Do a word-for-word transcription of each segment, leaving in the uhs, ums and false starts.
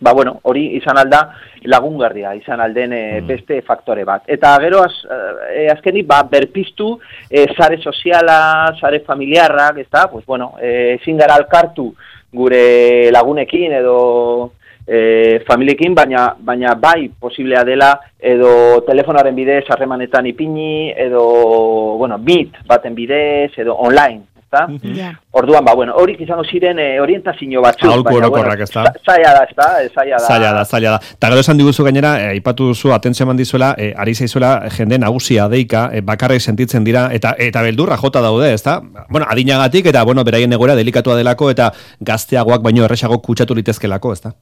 ba, bueno, hori izan alda lagungarria, izan alden e, beste faktore bat. Eta gero, az, e, azkenik, ba, berpiztu, e, sare soziala, sare familiarrak, ez da, pues, bueno, e, ezin gara alkartu gure lagunekin edo e, familiekin, baina, baina bai posiblea dela edo telefonaren bidez harremanetan ipini, edo, bueno, meet baten bidez, edo online. Yeah. Orduan, ba, bueno, horik izango ziren e, orientazio batzuk. Aholku orokorrak, ez da? Zaila da, ez da? Zaila da. Zaila da, zaila da. Ta gero esan diguzu gainera, aipatu e, duzu, atentzio eman dizuela, e, ari zaizuela jende nagusia deika, e, bakarrik sentitzen dira, eta eta beldurra jota daude, ez da? Bueno, adinagatik, eta, bueno, beraien egoera delikatua delako, eta gazteagoak baino erresago kutsatu litezkelako, ez da?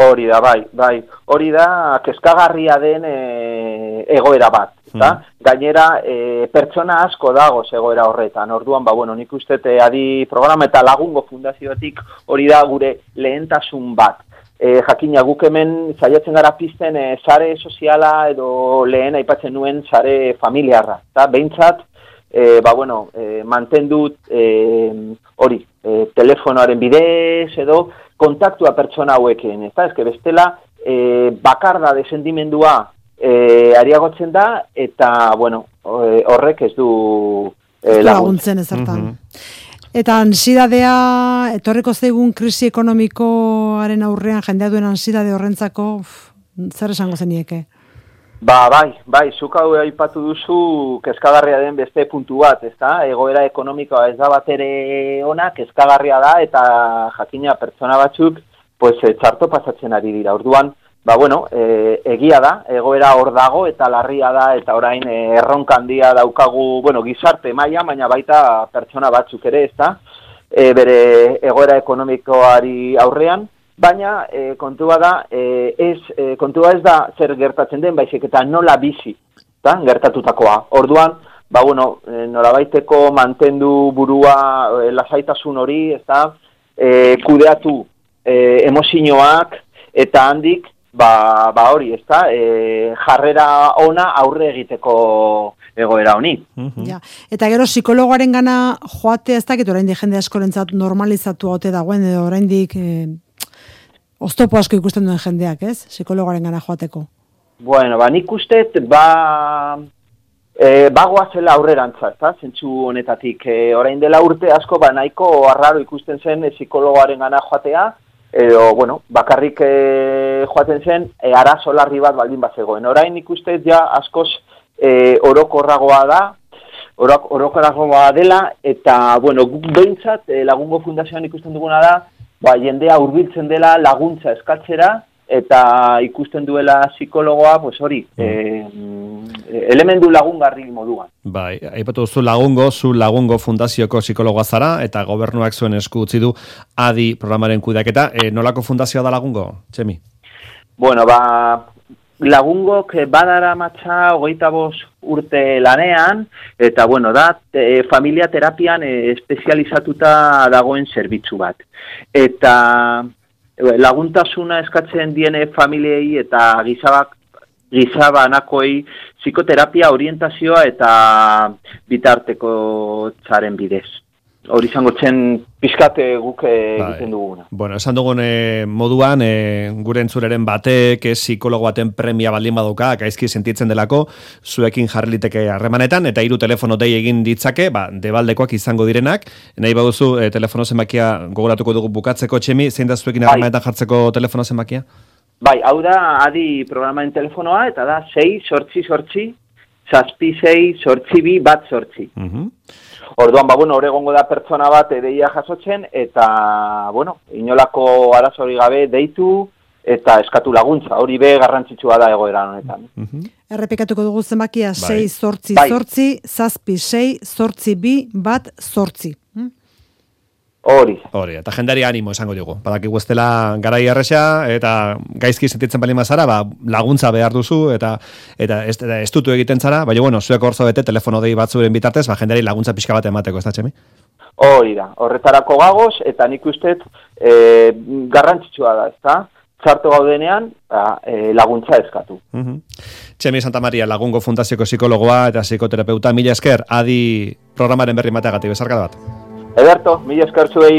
Hori da, bai, bai. Hori da, kezkagarria den e, egoera bat. Eta, mm. gainera, e, pertsona asko dago egoera horretan. Orduan, ba, bueno, nik uste adi programa eta lagungo fundazioetik hori da gure lehentasun bat. E, jakina, guk hemen saiatzen gara pizten e, sare soziala edo lehen aipatzen nuen sare familiarra. Eta, behintzat, e, ba, bueno, e, mantendut hori, e, e, telefonoaren bidez edo kontaktua pertsona hauekin, ez da, ezke bestela e, bakarda desendimendua e, ariagotzen da, eta, bueno, horrek ez du e, laguntzen ezertan. Mm-hmm. Eta ansiedadea, etorriko zaigun krisi ekonomikoaren aurrean, jendea duen ansiedade horrentzako, uf, zer esango zenieke? Ba, bai, bai, zuk hau aipatu duzu kezkagarria den beste puntu bat, ez da? Egoera ekonomikoa ez da bat ere ona, kezkagarria da, eta jakina pertsona batzuk, pues, txarto pasatzen ari dira. Orduan, ba, bueno, e, egia da, egoera hor dago, eta larria da, eta orain e, erronka handia daukagu, bueno, gizarte maila, baina baita pertsona batzuk ere, ez da? E, bere egoera ekonomikoari aurrean, baina e, kontua da, e, ez, e, kontua ez da zer gertatzen den, baizik eta nola bizi, da, gertatutakoa. Orduan, ba, bueno, e, nolabaiteko mantendu burua e, lasaitasun hori, ez da, e, kudeatu e, emozioak, eta handik, ba, ba hori, ez da, e, jarrera ona aurre egiteko egoera honi. Mm-hmm. Ja. Eta gero psikologoaren gana joate, ez dakit oraindik jende askorentzat normalizatu haute dagoen, edo oraindik e, oztopo asko ikusten duen jendeak, ez? Psikologoaren gana joateko. Bueno, ba, nik ustet, ba, e, bagoa zela aurrerantza, eta zentzu honetatik. E, orain dela urte asko, ba, nahiko arraro ikusten zen e, psikologoaren gana joatea, edo, bueno, bakarrik e, joaten zen, e, arazo larri bat baldin bat zegoen. Orain nik ustet, ja, askoz e, orokorragoa da, orok, orokorragoa dela, eta, bueno, behintzat, e, lagungo fundazioan ikusten duguna da, ba, jendea hurbiltzen dela laguntza eskatzera, eta ikusten duela psikologoa, pues hori, mm. e, elementu lagungarri moduan. Bai, aipatu zu lagungo, zu lagungo fundazioko psikologoa zara, eta gobernuak zuen esku utzi du adi programaren kudeaketa. E, nolako fundazioa da lagungo, Txemi? Bueno, ba, lagungok badara matxa hogeita bost urte lanean, eta bueno, da, e, familia terapian e, espezializatuta dagoen zerbitzu bat. Eta e, laguntasuna eskatzen diene familiei eta gizabak, gizabanakoi psikoterapia orientazioa eta bitarteko txaren bidez. Hori izango zen pizkate guk egiten duguna. Bueno, esan dugun e, moduan, e, gure entzuleren batek, e, psikologo baten premia baldin baduka, gaizki sentitzen delako, zuekin jarri liteke harremanetan, eta hiru telefono dei egin ditzake, ba, debaldekoak izango direnak, nahi baduzu e, telefono zenbakia gogoratuko dugu bukatzeko, Txemi, zein da zuekin harremanetan jartzeko telefono zenbakia? Bai, hau da, adi programaren telefonoa, eta da, sei, sortzi, sortzi, zazpi, sei, sortzi, bi, bat, sortzi. Uh-huh. Orduan, ba, bueno, egongo da pertsona bat deia jasotzen, eta, bueno, inolako arazori gabe deitu, eta eskatu laguntza. Hori be garrantzitsua da egoera honetan. Uh-huh. Errepikatuko dugu zenbakia, sei, zortzi, zortzi, zazpi, sei, zortzi, bi, bat, zortzi. Hori. Hori, eta jendari animo esango dugu. Badakigu ez dela garai erresa, eta gaizki sentitzen bali mazara, ba, laguntza behar duzu, eta eta ez, ez dutu egiten zara, baina, bueno, zuek hor zaudete telefono dei batzuren bitartez, ba, jendari laguntza pixka bat emateko, ez da, Txemi? Hori da, horretarako gagoz, eta nik ustet e, garrantzitsua da, ez da? Txarto gaudenean, e, laguntza eskatu. Uh-huh. Txemi Santa Maria, Lagungo Fundazioko psikologoa eta psikoterapeuta, mila esker, adi programaren berri mateagatik, bezarkada bat. Ederto, mila esker zuei.